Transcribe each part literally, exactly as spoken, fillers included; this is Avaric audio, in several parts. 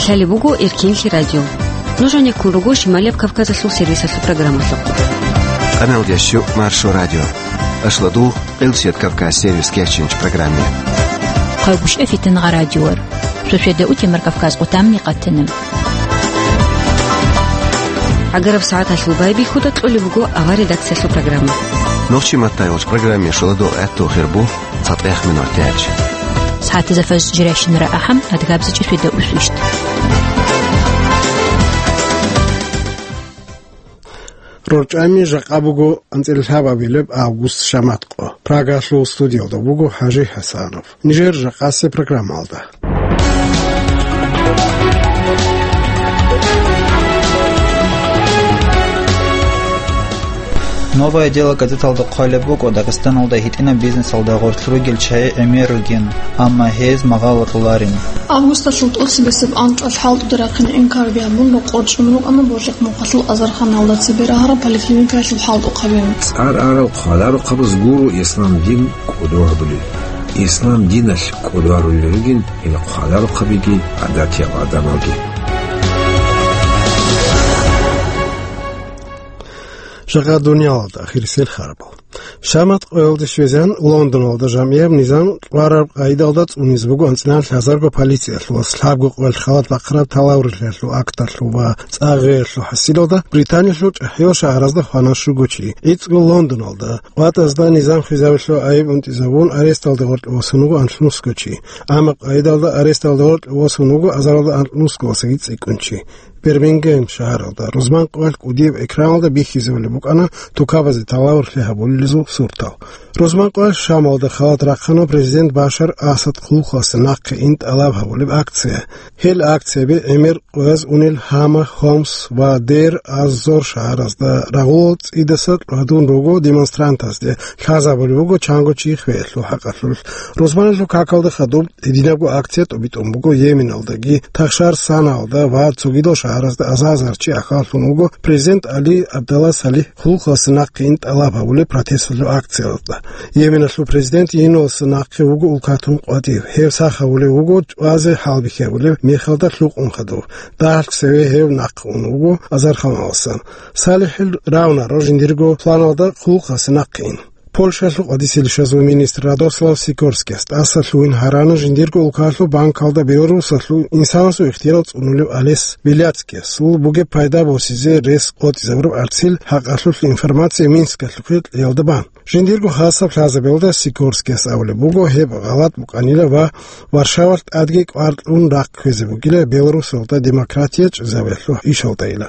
Лъалеб буго Эркинлъи радио. Нуж гьанеккун руго Шималияб Кавказалъул сервисалъул программалъухъ. Къаналдящу Маршо радио. Ашладу Къилсият Кавказ сервис кечинч программе. Хъавгушев Фитнагъа радиор. Шошеда утемар Кавказ къутамни къатана. ГӀагараб сагӀаталъул байбихьуда кьолеб буго авар редакциялъул программа. Нохчи маттайолч программе шуладо гӀатту хирбу цатӀех минутач. СагӀатазда фаз жирайщинара ахӀам, адгабзичӀи фида усвищт. РорчӀами жакъа буго анцӀила лъабабилеб август шаматкъо. Прагалъул студиялда буго ХӀажи ХӀасанов. Нижер жакъасе программалда. «Новое дело» газеталда хъвалеб буго Дагъистаналда гьитӀинаб бизнесалда гъорлъ ругел чагӀи гӀемер ругин, амма гьез магъало кьоларин. Августалъул тӀоцебесеб анкьалъ хӀалтӀуда рахъине инкар бигьабун, рокъор чӀун рукӀана Божихъ мухъалъул азарханалда цебе рагьараб поликлиникаялъул хӀалтӀухъабин. ЦӀар арал хъвадарухъабаз гуро ислам дин кӀодо гьабулел. Ислам диналъ кӀодо гьарулел ругин гьел хъвадарухъабиги гӀадатияб гӀадамалги. Жакъа дуниялалда ахирисел харабал. Шаматкъоялде щвезегӀан Лондоналда жамгӀияб низам кьвараб къайдалда цӀунизе буго анцӀила лъазарго полициялъул ва лъабго къоялъ халат бахъараб талаврилъиялъул акталъул ва цӀа гъеялъул хӀасилалда Британиялъул чӀахӀиял шагьаразда хвана щуго чи. ГӀицӀго Лондоналда къватӀазда низам хвезабилъул айиб унтӀизабун аресталда гъоркье босун вуго анлънусго чи. Амма къайдалда аресталда гъоркье босун вуго азаралда анлънусго васаги цӀикӀкӀун чи. Бирмингем шагьаралда рузман къоялъ кӀудияб экраналда бихьизабулеб букӀана тукабазе талаврилъи гьабулелезул суртал. Рузман къоялъ Шамалда халат рахъана президент Башар Асад хъулухъасе нахъе ин тӀалаб гьабулеб акция. Гьел акцияби гӀемер къояз унел Гьама, Хомс ва Дейр аз-Зор шагьаразда рагъул цӀидаса гьадун руго демонстрантазде, лъазабулеб буго чанго чи хвеялъул хӀакъалъулъ. Рузманалъул какалда хадуб гьединабго акция тӀубитӀун буго Йеменалдаги, Тахшар Санаалда ва цогидал шагьаразда аза-азар чи ахӀаллъун вуго президент Али Абдалла Салих хъулухъасе нахъе ин тӀалаб гьабулеб протесталъул акциялда. Йеменалъул президент гьениваласе нахъе вуго улкатун къватӀив. Гьев сах гьавулев вуго чӀвазе хӀалбихьи гьабулеб мехалда лъукъун хадув. Дагьалъ цеве гьев нахъе ун вуго азарханаласан. Салихил равнаро жиндирго планалда хъулухъасе нахъе ин. Польшалъул къадисел ишазул министр Радослав Сикорскияс тӀаса лъугьин гьарана жиндирго улкалъул банкалда Беларусалъул инсанасул ихтияр цӀунулев Олес Беляцкиясул бугеб пайда босизе рес къотӀизабураб арцил хӀакъалъулъ информация Минскалъухъе кьеялда бан. Жиндирго хасаб лъазабиялда Сикорскияс абулеб буго, гьеб гъалатӀ букӀанила ва Варшавалъ тӀадги кӀвар кьун рахъ кквезе бугила Беларусалда демократия чӀезабиялъул ишалдайила.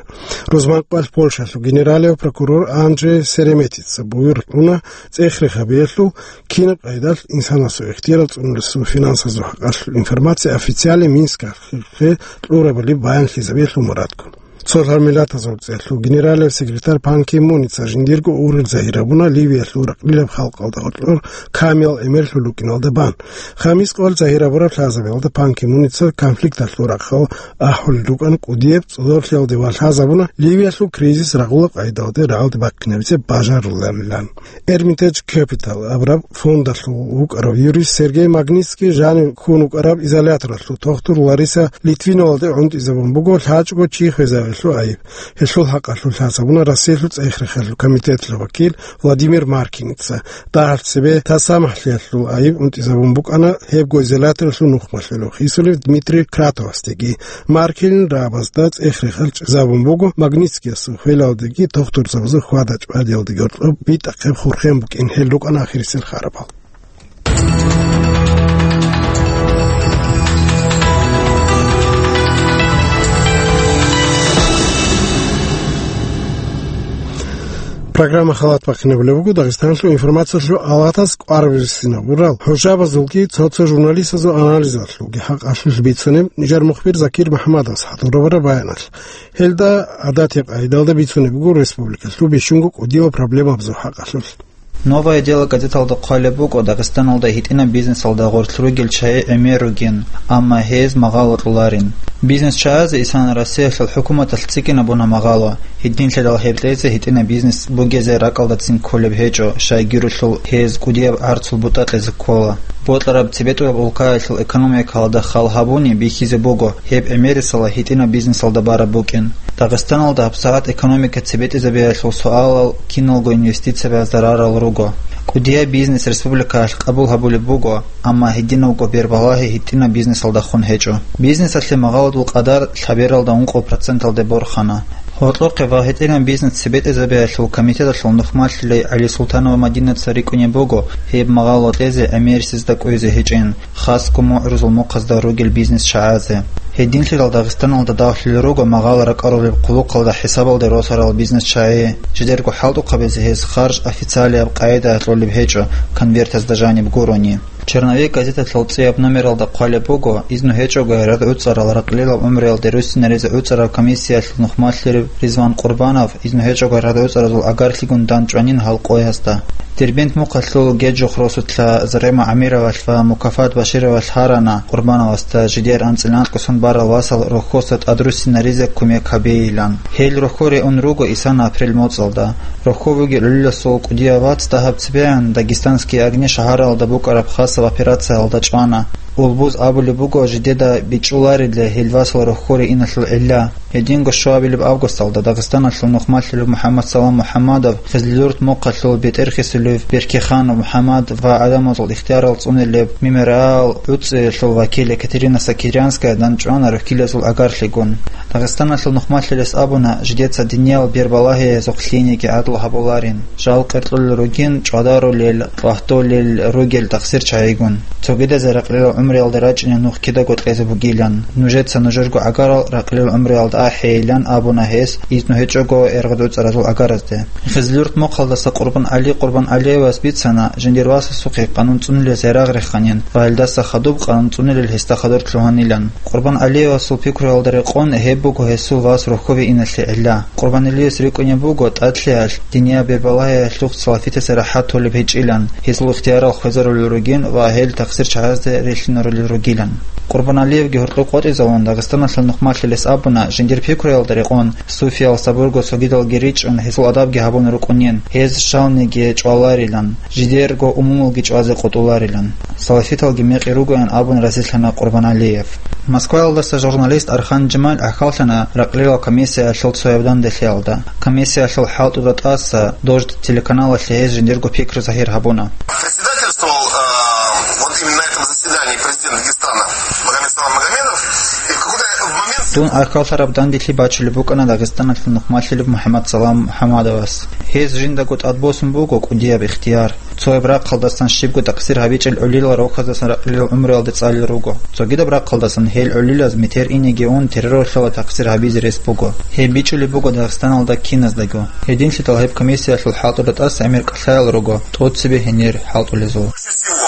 Рузман къоялъ Польшалъул генералияв прокурор Анже Сереметица буюр кьуна цӀех-рех гьабиялъул, кинаб къайдалъ инсанасул ихтияр цӀунулесул финансазул хӀакъалъул информация официале Минскалъухъе кьурабали баянлъизабиялъул мурадгун. Цо лъабмилатазул цӀеялъул генералияв секретарь Пан Ки Муница жиндирго ургъел загьир гьабуна Ливиялъул ракълилаб халкъалда гъоркьор камиял гӀемерлъун рукӀиналда бан. Хамис къоялъ загьир гьабураб лъазабиялда Пан Ки Муница конфликталъул рахъал ахӀулел рукӀана кӀудияб цӀодорлъиялде ва лъазабуна Ливиялъул кризис рагъулаб къайдалде рагӀалде бахъинабизе бажаруларилан. Эрмитаж Капитал абураб фондалъул вукӀарав юрист Сергей Магнитский жанив ккун вукӀараб изоляторалъул тухтур Лариса Литвиновалде гӀунтӀизабун буго лъачӀого чи хвезабиялъул айиб. Гьелъул хӀакъалъулъ лъазабуна Россиялъул цӀех-рехалъул комитеталъул вакил Владимир Маркиница. Дагьалъ цебе тасамахӀлъиялъул айиб унтӀизабун букӀана гьебго изоляторалъул нухмалъулев хисулев Дмитрий Кратовасдеги. Маркилин рабазда цӀех-рехал чӀезабун буго Магнитскиясул хвелалдеги тухтурзабазул хьвада-чӀвадиялдеги гьоркьоб битӀахъеб хурхен букӀин. Гьел рукӀана ахирисел харабал. Программа халат бахъинабулеб буго Дагъистаналъул информациялъул алатас кӀвараб рисинабурал хӀужабазулги цо-цо журналистазул анализалъулги хӀакъалъулъ бицунеб нижер мухбир Закир МухӀамадовас хӀадурабураб баяналъ. Гьелда гӀадатияб къайдалда бицунеб буго республикалъул бищунго кӀудиял проблемабазул хӀакъалъулъ. «Новое дело» газеталда хъвалеб буго Дагъистаналда гьитӀинаб бизнесалда гъорлъ ругел чагӀи гӀемер ругин, амма гьез магъало кьоларин. Бизнес чагӀазе исана Россиялъул хӀукуматалъ цӀикӀкӀинабуна магъало, гьединлъидал гьеб кьезе гьитӀинаб бизнес бугезе ракӀалдацин кколеб гьечӀо, щайгурелъул гьез кӀудияб гӀарцул бутӀа кьезе ккола. Бокьараб цебетӀураб улкаялъул экономикалда хал гьабуни бихьизе буго гьеб гӀемерисела гьитӀинаб бизнесалда бараб букӀин. Дагъистаналда гьабсагӀат экономика цебетӀизабиялъул суалал киналго инвестициябазда рарал руго. КӀудияб бизнес республикаялъ къабул гьабулеб буго, амма гьединавго бербалагьи гьитӀинаб бизнесалдахун гьечӀо. Бизнесалъе магъаладул къадар лъабералда ункъо проценталде борхана. Гьоркьохъе ва гьитӀинаб бизнес цебетӀезабиялъул комитеталъул нухмалъилай ГӀалисултанова Мадинаца рикӀкӀунеб буго гьеб магъало кьезе гӀемерисезда кӀвезе гьечӀин, хасго мугӀрузул мухъазда ругел бизнес чагӀазе. Гьединлъидал Дагъистаналда давлъулел руго магъало ракӀарулеб хъулухъалда хӀисабалде росарал бизнес чагӀи. Жидерго хӀалтӀухъабизе гьез харж официалияб къагӀидаялъ кьолеб гьечӀо, конвертазда жаниб гурони. «Черновик» газеталъул цӀияб номералда хъвалеб буго, изну гьечӀого радгӀуцӀарал ракълилал гӀумруялде руссинаризе гӀуцӀараб комиссиялъул нухмалъирав Ризван Къурбанов изну гьечӀого радгӀуцӀаразул агаралъгун дандчӀванин гьал къоязда. Дербент мухъалъул Геджухъ росулъа Зарема ГӀамировалъ ва Мукафат Башировалъ гьарана Къурбановасда жидер анцӀила анкьго сон барал васал рохьоса тӀадруссинаризе кумек гьабейилан. Гьел рохьоре ун руго исана апрель моцӀалда. Рохьо вугев гӀолиласул кӀудияв вац дагьаб цебегӀан «Дагестанские огни» шагьаралда букӀараб хасаб операциялда чӀвана. Улбуз абулеб буго жидеда бичӀчӀуларила гьел васал рохьоре иналъул гӀилла. Гьединго щуабилеб августалда Дагъистаналъул нухмалъилев МухӀаммадсалам МухӀаммадов, Хизлилурт мухъалъул БетӀерхисулев Беркиханов МухӀаммад ва гӀадамазул ихтиярал цӀунилеб «Мемориал» гӀуцӀиялъул вакил Екатерина Сакирянская дандчӀвана рохьилазул агаралъгун. Дагъистаналъул нухмалъилес абуна, жидеца диниял бербалагьиязухъ лъиениги гӀадлу гьабуларин. Жал къеркьулел ругин чӀвадарулел, къватӀулел ругел тахсир чагӀигун. Цогидазе ракълилал гӀумруялда рачӀине нух кидаго кьезе бугилан. Нужеца нужерго гӀагарал ракълил гӀумруялда ахӀейилан абуна гьес, изну гьечӀого эргъад гӀуцӀаразул агаразде. Хизлюрт мухъалдаса Къурбан ГӀали Къурбан ГӀалиевас бицана, жиндир васасухъе къанун цӀунулез ярагъ реханин ва гьелдаса хадуб къанун цӀунулел гьесда хадур лъугьанилан. Къурбан ГӀалиевасул пикруялда рекъон гьеб буго гьесул вас рохьове иналъе гӀилла. Къурбан ГӀалиевас рикӀкӀунеб буго тӀадлъиялъ, динияб бербалагьиялъухъ салафитасе рахӀат толеб гьечӀилан, гьезул ихтиярал хвезарулел ругин ва гьел тахсир чагӀазде релълъинарулел ругилан. Къурбан ГӀалиевги гьоркьоб къотӀизавун Дагъистаналъул нухмалъилес абуна, жиндир пикруялда рекъон, суфиял сабурго цогидалги ричӀчӀун, гьезул адабги гьабун рукӀунин, гьез щалниги чӀваларилан, жидерго умумулги чӀвазе къотӀуларилан. Салафиталги мекъи ругоян абун разилъана Къурбан ГӀалиев. Москваялдаса журналист Архан Жамал гӀахьаллъана ракълилал комиссиялъул цояб данделъиялда. Комиссиялъул хӀалтӀуда тӀаса «Дождь» телеканалалъе гьез жиндирго пикру загьир гьабуна. Председательствовал, э, вот именно на этом заседании президент Дагестана Магомед Салам Магомедов. И в какой-то момент... Дун гӀахьаллъараб данделъи бачулеб букӀана Дагъистаналъул нухмалъилев МухӀаммадсалам МухӀаммадовас. Гьез жиндаго тӀадбосун буго кӀудияб ихтияр. Цояб рахъалдасан щибго такъсир гьабичӀел гӀолилал рохьаздасан ракълилал гӀумруялде цӀалел руго. Цогидаб рахъалдасан гьел гӀолилаз метер инеги ун терроралъула такъсир гьабизе рес буго. Гьеб бичӀчӀулеб буго Дагъистаналда киназдаго. Гьединлъидал гьеб комиссиялъул хӀалтӀуда тӀаса гӀемер кӀалъаял руго, тӀоцебе гьенир хӀалтӀулезул. Больше всего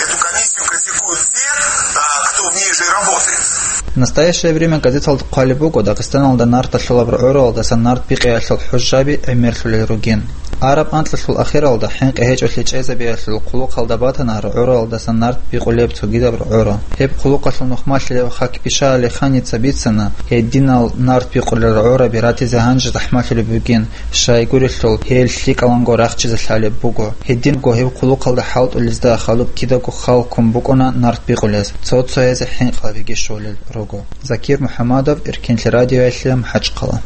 эту комиссию критикуют те, а, кто в ней же работает. «Настоящее время» газеталда хъвалеб буго, Дагъистаналда нарталъулаб рогӀоралдасан нарт бикъиялъул хӀужжаби гӀемерлъулел ругин. Араб анкьалъул ахиралда хӀинкъи гьечӀолъи чӀезабиялъул хъулухъалда батана рогӀоралдасан нарт бикъулеб цогидаб рогӀора. Гьеб хъулухъалъул нухмалъилев Хакбиша Алиханица бицана, гьединал нарт бикъулел рогӀораби ратизе гьанже захӀмалъулеб бугин, щайгурелъул гьел лъикӀаланго рахчизе лъалеб буго. Гьединго гьеб хъулухъалда хӀалтӀулезда хадуб кидаго хал ккун букӀуна нарт бикъулез, цо-цоязе хӀинкъабиги щолел руго. Закир МухӀаммадов, Эркенлъи радиоялъе, МахӀачхъала.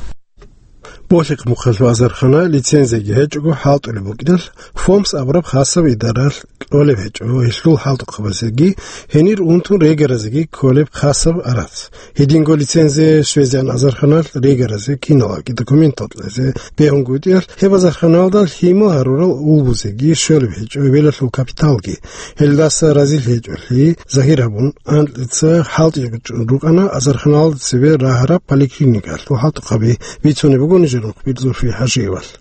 Болъихъ мухъалъул азархана лицензияги гьечӀого хӀалтӀулеб букӀиналъ, ФОМС абураб хасаб идаралъ кьолеб гьечӀо гьелъул хӀалтӀухъабазеги, гьенир унтун регаразеги кколеб хасаб арац. Гьединго лицензия щвезегӀан азарханалъ регаразе киналги документал кьезе бегьунгутӀиялъ, гьеб азарханалда лъимал гьарурал улбузеги щолеб гьечӀо велалъул капиталги. Гьелдаса разил гьечӀолъи загьир гьабун, анкьица хӀалтӀичӀун рукӀана азарханалда цебе рагьараб поликлиникалъул хӀалтӀухъаби, бицунеб буго нижер мухбир Зульфия ХӀажиевалъ.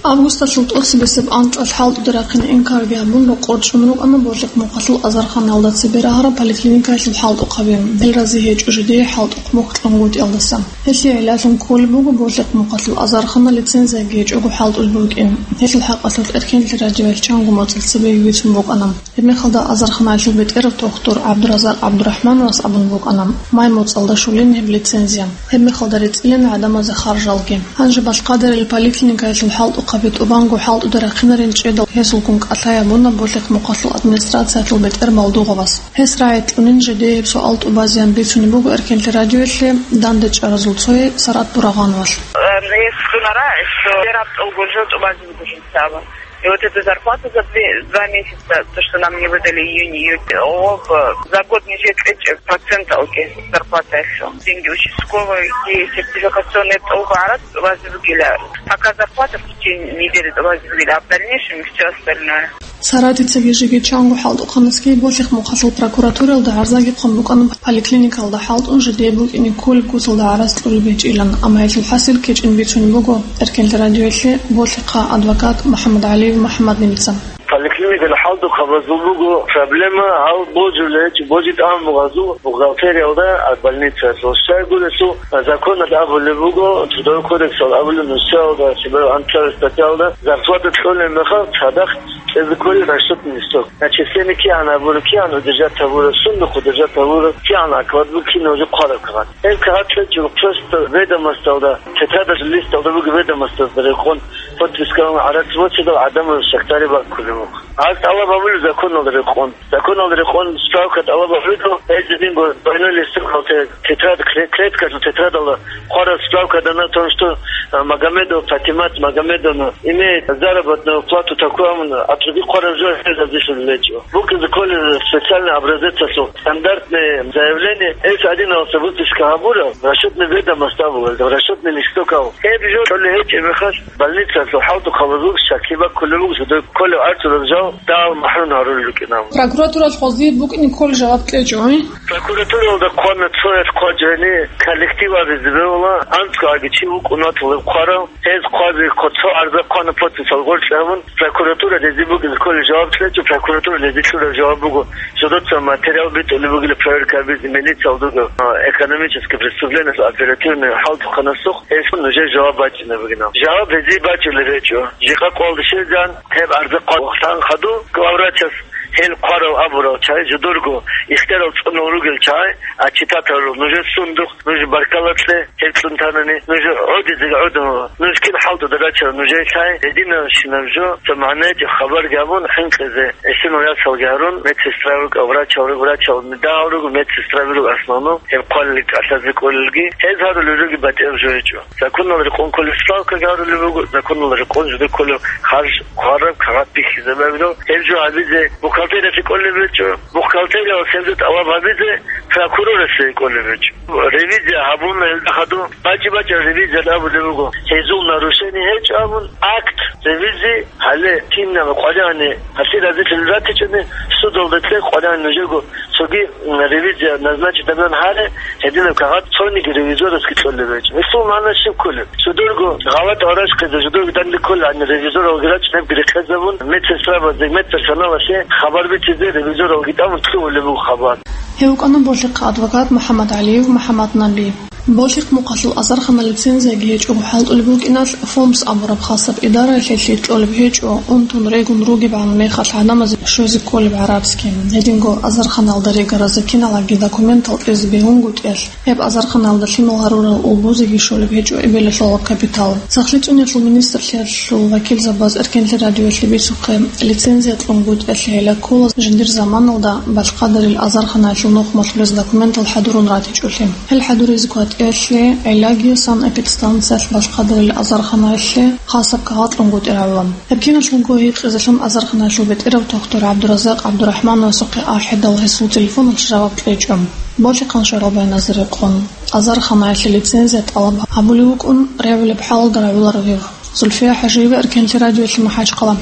Августалъул тӀоцебесеб анкьалъ хӀалтӀуда рахъине инкарги гьабун, рокъор чӀун рукӀана Болъихъ мухъалъул азарханалда цебе рагьараб поликлиникаялъул хӀалтӀухъаби, гьел рази гьечӀо жидее хӀалтӀухъ мухь кьунгутӀиялдаса. Гьелъие гӀиллалъун кколеб буго Болъихъ мухъалъул азархана лицензияги гьечӀого хӀалтӀулеб букӀин. Гьелъул хӀакъалъулъ Эркенлъи радиоялъ чанго моцӀалъ цебеги бицун букӀана. Гьебмехалда азарханаялъул бетӀерав тухтур ГӀабдуразакъ ГӀабдурахӀмановас абун букӀана, май моцӀалда щолин гьеб лицензия. Гьебмехалда рецӀилин гӀадамазе харжалги. Гьанже балъ къадарил поликлиникаялъул хӀалтӀухъ Хъаби тӀубанго хӀалтӀуда рахъинарин чӀедал гьесулгун кӀалъай абуна Болъихъ мухъалъул администрациялъул бетӀер Малдугъовас. Гьес рагӀи кьунин жидееб суал тӀубазеян бицунеб буго Эркенлъи радиоялъе дандечӀаразул цое Сарат Бурагъановалъ. Э, есть гонорар, что я раб долго жил, тӀубазе буго жинцаба. И вот эта зарплата за две, два месяца, то, что нам не выдали июнь, июль, оба, за год не жетлечь процент алги зарплата еще. Деньги участковые, и сертификационные тӀубарат, тӀубазе бугила. Пока зарплата в течение недели тӀубазе бугила, а в дальнейшем и всё остальное. Саратица гижиги чанго хӀалтӀухъанасги Болъихъ мухъалъул прокуратуралда гӀарзаги хъван букӀана поликлиникалда хӀалтӀун жидее букӀине кколеб гусалда гӀарац кьолеб гьечӀилан, амма гьелъул хӀасил кечӀин бицунеб буго Эркенлъи радиоялъе Болъихъа адвокат МухӀаммад ГӀалиев МухӀаммаднабица. Поликлиникалда хӀалтӀухъабазул буго проблема, гьал божулел гьечӀо, божи тӀамугъазул бухгалтериялда, а больницаялъул щайгурелъул законалда абулеб буго, Трудовой кодексалда абулеб нусиялда, щибаб анцӀабилеб статьялда зарплата кьолеб мехалъ цадахъ кьезе кколел расчетный листок. Начисление кигӀан гьабура, кигӀан удержать гьабура, сундухъ удержать гьабура, кигӀан оклад буго, кинав жо хъвараб кагъат. Гьеб кагъат лъечӀого просто ведомосталда, тетрадалъул листалда буго ведомосталда рекъон, подписка гьабун гӀарац босидал гӀадамал шахтари баккулеб буго. Гьаз тӀалаб гьабулеб законалда рекъон. Законалда рекъон справка тӀалаб гьабулеб, гьез жиндирго двойной листок гьалте тетрад, кле-, клеткалъул тетрадалда хъвараб справка дана о том, что, а, Магомедов Патимат Магомедовна имеет заработную плату такую, амма отруби хъвараб жо гьез гьабизе лъечӀо. БукӀине кколел специальный образецалъул стандартное заявление, эс один алса выписка гьабураб, расчетный ведомость абулеб, расчетный листок абу. Гьеб жо кьолеб гьечӀеб мехалъ, больницаялъул хӀалтӀухъабазул щаклъи баккулеб буго, жидер кколеб арцураб жал дагьал махӀрум гьарулел рукӀинаро. Прокуратуралъ гьезие букӀине кколеб жаваб кьечӀо, гьи? Прокуратуралда хъвана цояс хъвачӀани, коллектив абизе бегьула, анцӀгоги чи вукӀун ватулеб хъварав, гьез хъвазе кко-, цо гӀарза хъвана, подписал гъоркье гьабун, прокуратура гьезие букӀине кколеб жаваб кьечӀо, прокуратура гьезие кьураб жаваб буго, жодоца материал битӀулеб бугила, проверка гьабизе милициялда, а, экономический преступлениялъул оперативный хӀалтӀухъанасухъ гьелъул нужее жаваб бачӀине бугинал. Жаваб гьезие бачӀулеб гьечӀо. Жикъа къоялда щвезегӀан гьеб гӀарза хъван хадуб главврачас, гьел хъварал абурал чагӀи, жидерго ихтияр цӀунал ругел чагӀи, а читатал нужер сундухъ, нуж баркала кье, гьеб кьун танани, нуж гӀодизеги гӀодо, нуж кин хӀалтӀуда рачарал нужее лъай, гьединабщинаб жо, цо магӀнайги хабарги гьабун, хӀинкъизе, гӀисинал ясалги гьарун, медсестра руго, врачал руго, врачал дагьал руго, медсестра руго основном, гьеб хъвалел кӀалъазе кӀолелги, гьез гьарулел ругел батӀияб жо гьечӀо. Законалда рекъон кколеб справкаги гьарулеб буго, законалда рекъон жидер кколеб харж хъвараб кагъат бихьизабураб, гьеб жо гьабизе бухгалтериялъе кӀолеб гьечӀо, бухгалтериялъ гьеб жо тӀалаб гьабизе прокуроралъе кӀолеб гьечӀо. Ревизия гьабуна гьелда хадуб, бачӀи-бачӀи ревизияда абулеб буго, гьезул нарушение гьечӀо абун, акт ревизии гьале, кинаб къваригӀани, гьалъие разилъун ратичӀони, судалда кье къваригӀани нужего цоги, м, ревизия назначить гьабун гьаре, гьединаб кагъат цониги ревизорасги кьолеб гьечӀо. Гьелъул магӀна щиб кколеб? Жидерго гъалатӀал рачӀине, жидерго данде кколеб гӀадин, ревизоралги рачӀинебги рехсезабун, медсестрабазде, медперсоналалъе хабар битӀизе ревизоралги тӀамун лъугьулеб буго хабар. Гьев вукӀана Болъихъа адвокат МухӀаммад ГӀалиев МухӀаммаднаби. Болъихъ мухъалъул азарханал лицензияги гьечӀого хӀалтӀулеб букӀиналъ, ФОМС абураб хасаб идараялъе лъикӀ кьолеб гьечӀо, унтун регун ругебгӀан мехалъ гӀадамазе щвезе кколеб гӀарабски. Гьединго азарханалда регаразе киналги документал кьезе бегьунгутӀиялъ, гьеб азарханалда лъимал гьарурал улбузеги щолеб гьечӀо эбелалъул капитал. Сахлъи цӀуниялъул министрлъиялъул вакилзабаз Эркенлъи радиоялъе бицухъе, лицензия кьунгутӀиялъе гӀилла ккола жиндир заманалда Балъкъадарил азарханаялъул нухмалъулез документал хӀадурун ратичӀолъи. Гьел хӀадуризе ккватӀиялъе гӀиллаги санэпидстанциялъ Балъкъадарил азарханаялъе хасаб кагъат кьунгутӀи гьавилан. Гьеб киналъулго гьикъизелъун азарханаялъул бетӀерав тухтур ГӀабдуразакъ ГӀабдурахӀмановасухъе ахӀидал гьесул телефоналъ жаваб кьечӀо. Болъихъан шагьураб гӀайназда рекъон, азарханаялъе лицензия тӀалаб гьабулев вукӀун, регӀулеб хӀалалда рагӀуларо гьев. Зульфия ХӀажиева, Эркенлъи радиоялъе, МахӀачхъала.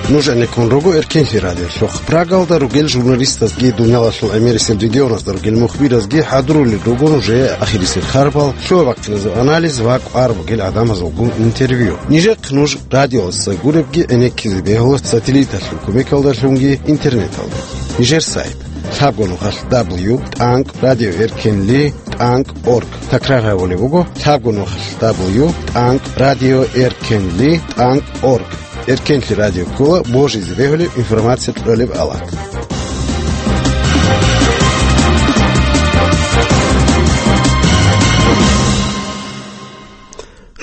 Нуж гӀенеккун руго Эркенлъи радиолъухъ. Прагалда ругел журналистазги, дуниялалъул гӀемерисел регионазда ругел мухбиразги хӀадурулел руго нужее ахирисел харбал, лъугӀа-бахъиназул анализ ва кӀвар бугел гӀадамазулгун интервью. Нижехъ нуж радиоялдаса гуребги гӀенеккизе бегьула сателлиталъул кумекалдалъунги интернеталда. Нижер сайт: лъабго нухалъ дабл ю тӀанкӀ радио эркенли тӀанкӀ орг. Такрар гьабулеб буго: лъабго нухалъ дабл ю тӀанкӀ радио эркенли тӀанкӀ орг. Эркенлъи радио ккола божизе бегьулеб информация кьолеб алат.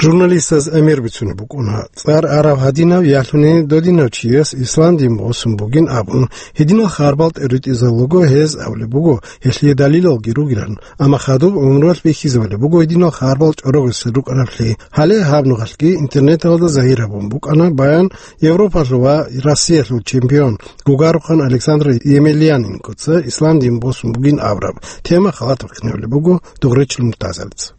Журналистаз гӀемер бицунеб букӀуна, цӀар арав гьадинав ялъуни додинав чияс ислам дин босун бугин абун, гьединал харбал тӀеритӀизабуго гьез абулеб буго, гьелъие далилалги ругилан, амма хадуб гӀумруялъ бихьизабулеб буго гьединал харбал чӀорогесел рукӀараблъи. Гьале гьаб нухалъги интернеталда загьир гьабун букӀана баян Европалъул ва Россиялъул чемпион, гугарухан Александр Емельяненкоца ислам дин босун бугин абураб тема халат бахъинабулеб буго Дугъречил Муртазалица.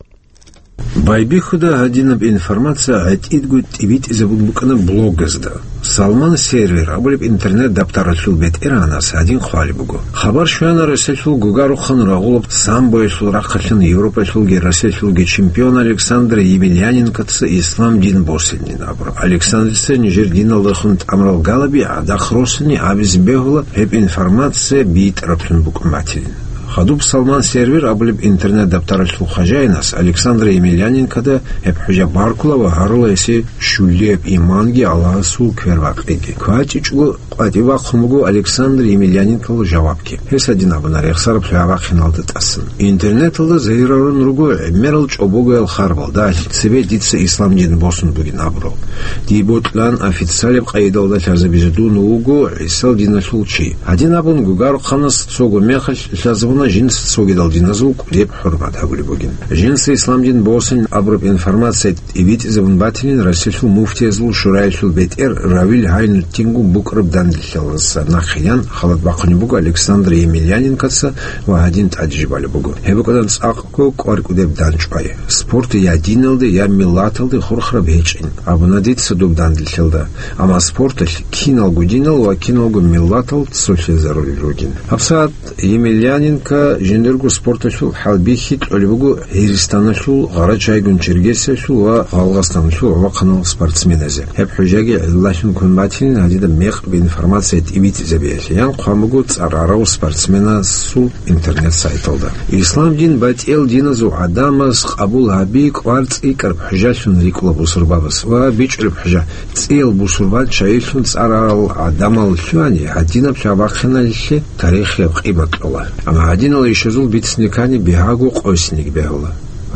Байбихьуда гьадинаб информация гӀетӀидго тӀибитӀизабун букӀана блогазда. Салман Сервер абулеб интернет-даптаралъул бетӀергьанас гьадин хъвалеб буго. Хабар щвана Россиялъул гугарухан рагъулаб самбоялъул рахъалъан Европалъулги Россиялъулги чемпион Александр Емельяненкоца ислам дин босинин абураб. Александрица нижер диналдехун тӀамрал галаби гӀадахъ росани абизе бегьула гьеб информация битӀараблъун букӀун батилин. Хадуб Салман Сервер абулеб интернет-даптаралъул хважаинас Александр Емельяненкода гьеб хӀужа баркула ва гьарула гьесие щулияб иманги Аллагьасул квербакъиги. КвачӀичӀого къватӀив вахъун буго Александр Емельяненкола жавабги. Гьес гьадин абуна рехсараб лъугӀа-бахъиналда тӀасан. Интернеталда загьирарун руго гӀемерал чӀобогоял харбал, дагь цебе дица ислам дин босун бугин абурал. Дие бокьилаан официалаб къайдалда лъазабизе дун вуго ГӀисал диналъул чи. Гьадин абун гугарухъанас цого мехалъ лъазабуна жинца цогидал диназул кӀудеб хӀурмат гьабулеб бугин. Жинца ислам дин босин абураб информация тӀибитӀизабун батилин Россиялъул муфтиязул шураялъул бетӀер Равил Гьайнутдингун букӀараб данделъалдаса нахъе ян халат бахъунеб буго Александр Емельяненкоца ва гьадин тӀаде жиб балеб буго. Гьеб букӀана цӀакъго кӀвар кӀудеб данчӀвай. Спорт я диналде, я миллаталде хурхараб гьечӀин, абуна дица доб данделъалда. Амма спорталъ киналго динал ва киналго миллатал цолъизарулел ругин. ГьабсагӀат Емельяненко жиндирго спорталъул хӀалбихьи кьолеб буго Гьиристаналъул, Гъарачайгун Чергесиялъул ва Гъалгъастаналъул гӀолохъанал спортсменазе. Гьеб хӀужаги гӀиллалъун ккун батилин гьадинаб мекъаб информация тӀибитӀизабиялъе, ян хъван буго цӀар арав спортсменасул интернет-сайталда. Ислам дин батӀиял диназул гӀадамаз къабул гьаби кӀвар цӀикӀкӀараб хӀужалъун рикӀкӀула бусурбабаз ва бичӀчӀулеб хӀужа цӀиял бусурбан чагӀилъун цӀар арал гӀадамал лъугьани, гьадинаб лъугӀа-бахъиналъе тарихияб къимат кьола. Амма гьадинал ишазул бицни ккани бигьаго къосинеги бегьула.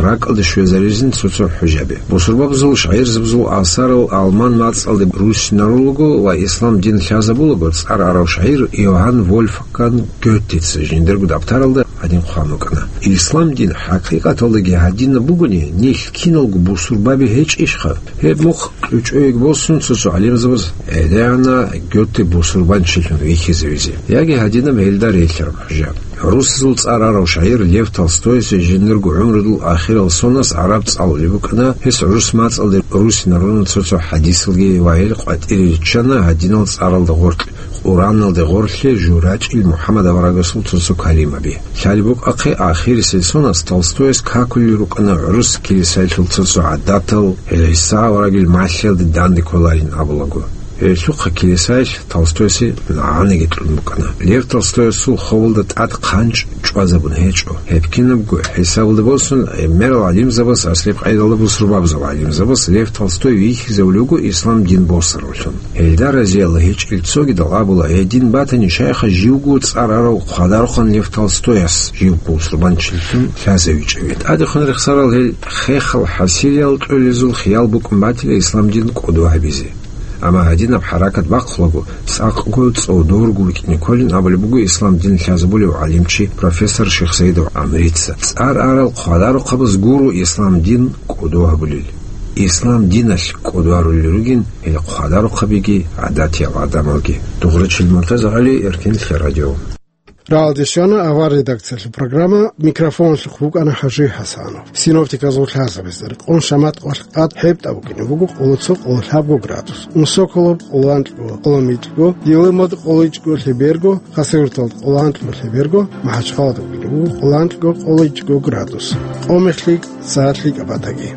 РакӀалде щвезаризин цо-цо хӀужаби. Бусурбабазул шагӀирзабазул асарал алман мацӀалде руссинарулаго ва ислам дин лъазабулаго цӀар арав шагӀир Иоганн Вольфганг Гётеца жиндирго даптаралда гьадин хъван букӀана: «Ислам дин хӀакъикъаталдаги гьадинаб бугони, нилъ киналго бусурбаби гьечӀищха?» Гьеб мухъ кьучӀойги босун цо-цо гӀалимзабаз гӀедегӀана Гёте бусурбанчилъун вихьизавизе, яги гьадинаб гьелда релълъараб хӀужа. ГӀурусазул цӀар арав шагӀир Лев Толстойица жиндирго гӀумрудул ахирал соназ гӀараб цӀалулеб букӀана, гьес гӀурус мацӀалде руссинаруна цо-цо хӀадисалги ва гьел къватӀире риччана гьадинал цӀаралда гъоркь, Къураналде гъорлъе журачӀил МухӀаммад аварагасул цо-цо калимаби. Лъалеб букӀахъе, ахирисел соназ Толстойас какулел рукӀана гӀурус килисаялъул цо-цо гӀадатал, гьел ГӀиса аварагил малъиялде данде кколарин абулаго. Гьелъухъа килисаялъ Толстойасе нагӀанаги кьун букӀана. Лев Толстоясул ховалда тӀад хъанчӀ чӀвазабун гьечӀо. Гьеб кинабго хӀисабалда босун, гӀемерал гӀалимзабаз, аслияб къайдалда бусурбабазул гӀалимзабаз, Лев Толстой вихьизавулев вуго ислам дин босаравлъун. Гьелда разиялла гьечӀел цогидал абула, гьедин батани, шайха живго цӀар арав хъвадарухъан Лев Толстояс жив бусурбанчилъун лъазавичӀеве. ТӀадехун рехсарал гьел хехал хӀасилиял кьолезул хиял букӀун батила ислам дин кӀодо гьабизе. Амма гьадинаб хӀаракат бахъулаго, цӀакъго цӀодорго вукӀине кколин абулеб буго ислам дин лъазабулев гӀалимчи профессор Шихсаидов ГӀамрица. ЦӀар арал хъвадарухъабаз гуро ислам дин кӀодо гьабулел. Ислам диналъ кӀодо гьарулел ругин гьел хъвадарухъабиги гӀадатиял гӀадамалги. Дугърачил Муртазагьали, Эркин лъе радио. Рагьалде щвана авар редакциялъул программа, микрофоналъухъ букӀана ХӀажи ХӀасанов. Синоптиказул лъазабиз рекъон шамат къвалъ къад хӀебтӀа букӀине буго къоло цо къоло лъабго градус, Унсоколоб къоло анкьго къоло микьго, Йилимад къоло ичӀго лъеберго, Хасавюрталда къоло анкьго лъеберго, МахӀачхъалада букӀине буго къоло анкьго къоло ичӀго градус. Къо мехлъи, сагӀатлъи кӀабатаги.